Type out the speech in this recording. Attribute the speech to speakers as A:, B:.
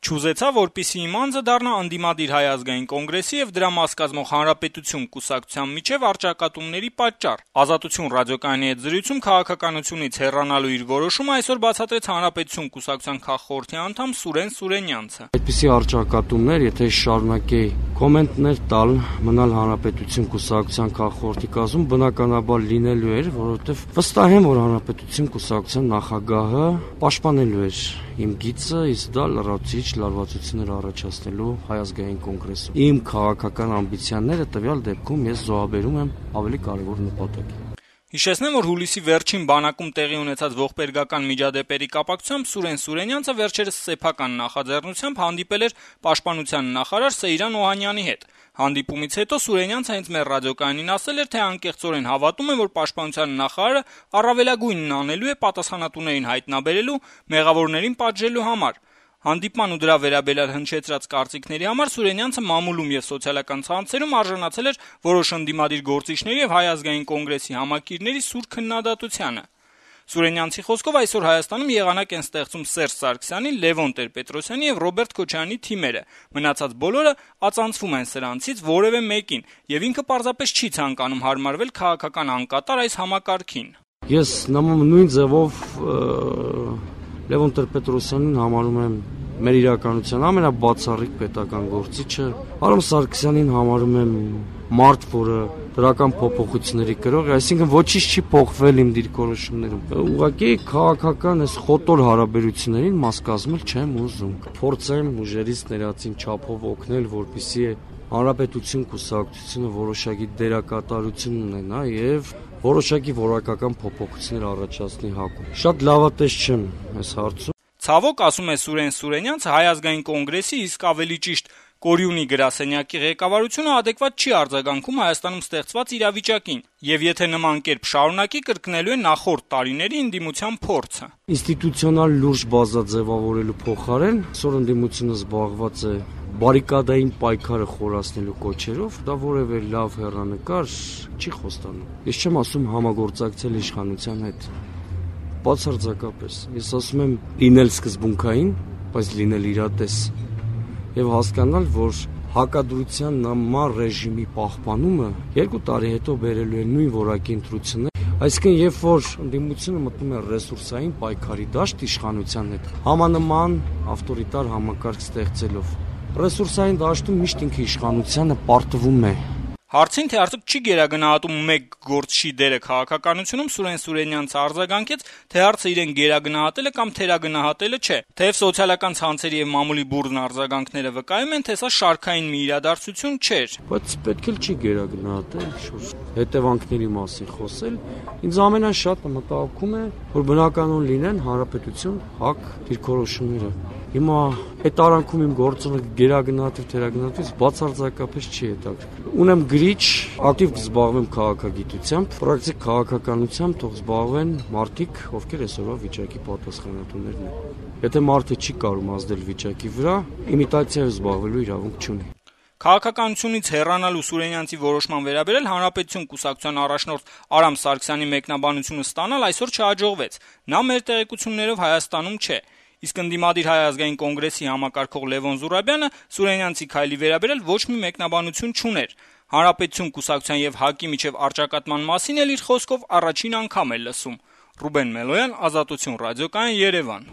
A: Չուզեցավ, որպեսզի իմ անձը դառնա ընդդիմադիր Հայ ազգային կոնգրեսի եւ դրա մաս կազմող Հանրապետություն կուսակցության միջեւ առճակատումների պատճառ։ Ազատություն ռադիոկայանի հետ զրույցում քաղաքականությունից հեռանալու իր որոշումը այսօր բացատրեց Հանրապետություն կուսակցության քաղխորհրդի անդամ Սուրեն Սուրենյանցը։
B: Այդպիսի առճակատումներ, եթե շարունակեի կոմենտներ տալ, մնալ Հանրապետություն կուսակցության քաղխորհրդի կազմում, բնականաբար լինելու էր, որովհետեւ վստահ եմ, որ Հանրապետություն կուսակցության նախագահը պաշտպանելու էր իմ գիծը, իսկ դա լրացուցիչ լարվածություններ առաջացնելու Հայ ազգային կոնգրեսում։ Իմ քաղաքական ամբիցիաները տվյալ դեպքում ես զոհաբերում եմ ավելի կարևոր նպատակի։
A: Հիշեցնեմ, որ հուլիսի վերջին բանակում տեղի ունեցած ողբերգական միջադեպերի կապակցությամբ Սուրեն Սուրենյանցը վերջերս սեփական նախաձեռնությամբ հանդիպել էր պաշտպանության նախարար Սեյրան Օհանյանի հետ։ Հանդիպումից հետո Սուրենյանցը հենց մեր ռադիոկայանին ասել էր, թե անկեղծորեն հավատում է, որ պաշտպանության նախարարը առավելագույնն անելու է պատասխանատուներին հայտնաբերելու, մեղավորներին պատժելու համար։ Հանդիպման ու դրա վերաբերյալ հնչեցրած կարծիքների համար Սուրենյանցը մամուլում եւ սոցիալական ցանցերում արժանացել էր որոշ ընդդիմադիր գործիչների եւ Հայ ազգային կոնգրեսի համակիրների սուր քննադատությանը։ Սուրենյանցի խոսքով այսօր Հայաստանում եղանակ են ստեղծում Սերժ Սարգսյանի, Լևոն Տեր-Պետրոսյանի եւ Ռոբերտ Քոչարյանի թիմերը, մնացած բոլորը ածանցվում են սրանցից որևէ մեկին, եւ ինքը պարզապես չի ցանկանում հարմարվել քաղաքական անկատար այս համակարգին։
B: Ես նույն ձևով Լևոն Տեր-Պետրոսյանին համարում եմ մեր իրականության ամենաբացառիկ պետական գործիչը, Արամ Սարգսյանին համարում եմ մարդ, որը դրական փոփոխությունների կրող է, այսինքն ոչինչ չի փոխվել իմ դիրքորոշումներում։ Ուղղակի քաղաքական այս խոտոր հարաբերություններին մաս կազմել չեմ ուզում։ Փորձեմ ուժերից ներածին չափով օգնել, որպեսզի Հանրապետություն կուսակցությունը որոշակի դերակատարություն ունենա եւ որոշակի որակական փոփոխություններ առաջացնի ՀԱԿ-ում։ Շատ լավատես չեմ այս հարցում։
A: Ցավոք, ասում է Սուրեն Սուրենյանցը, Հայ ազգային կոնգրեսի, իսկ ավելի ճիշտ Կորյունի գրասենյակի ղեկավարությունը adekvat չի արձագանքում Հայաստանում ստեղծված իրավիճակին, եւ եթե նման կերպ շարունակի, կրկնելու է նախորդ տարիների ընդդիմության փորձը։
B: Ինստիտուցիոնալ լուրջ բազաձևավորելու փոխարեն այսօր ընդդիմությունը զբաղված է բարիկադային պայքարը խորացնելու կոչերով, դա որևէ լավ հեռանկար չի խոստանում։ Ես չեմ ասում համագործակցել իշխանության հետ։ Բացարձակապես։ Ես ասում եմ լինել սկզբունքային, բայց լինել իրատես եւ հասկանալ, որ հակադրության նման ռեժիմի պահպանումը 2 տարի հետո բերելու է նույն որակի ընտրություններ, այսինքն երբ որ ընդդիմությունը մտնում է ռեսուրսային պայքարի դաշտ իշխանության հետ, համանման ավտորիտար համակարգ ստեղծելով, ռեսուրսային դաշտում միշտ ինքը իշխանությանը պարտվում է։
A: Հարցին, թե արդյոք չի գերագնահատում մեկ գործչի դերը քաղաքականությունում, Սուրեն Սուրենյանցը արձագանքեց, թե հարցը իրեն գերագնահատելը կամ թերագնահատելը չէ, թեև սոցիալական ցանցերի եւ մամուլի բուրըն արձագանքները վկայում են, թե սա շարքային մի իրադարձություն չէր։
B: Բայց պետք է չի գերագնահատել, հետևանքների մասին խոսել։ Ինձ ամենաշատը մտահոգում է, որ բնականon լինեն Հանրապետություն ՀԱԿ դիրքորոշումները։ Հիմա այդ արանքում իմ գործոնը գերագնահատել թերագնահատելուց բացարձակապես չի հետաքրքրում։ Ունեմ գրիչ, ակտիվ կզբաղվեմ քաղաքագիտությամբ, պրակտիկ քաղաքականությամբ թող զբաղվեն մարդիկ, ովքեր այսօրվա վիճակի պատասխանատուներն են։ Եթե մարդը չի կարող ազդել վիճակի վրա, իմիտացիայով զբաղվելու իրավունք չունի։
A: Քաղաքականությունից հեռանալու Սուրենյանցի որոշման վերաբերել Հանրապետություն կուսակցության առաջնորդ Արամ Սարգսյանի մեկնաբանությունը ստանալ այսօր չհաջողվեց։ Նա մեր տեղեկություններով Հայաստանում չէ։ Իսկ ընդդիմադիր Հայ ազգային կոնգրեսի համակարգող Լևոն Զուրաբյանը Սուրենյանցի քայլի վերաբերել ոչ մի մեկնաբանություն չուներ։ Հանրապետություն կուսակցության եւ ՀԱԿ-ի միջև առճակատման մասին էլ իր խոսքով առաջին անգամ է լսում։ Ռուբեն Մելոյան, Ազատություն ռադիոկայան, Երևան։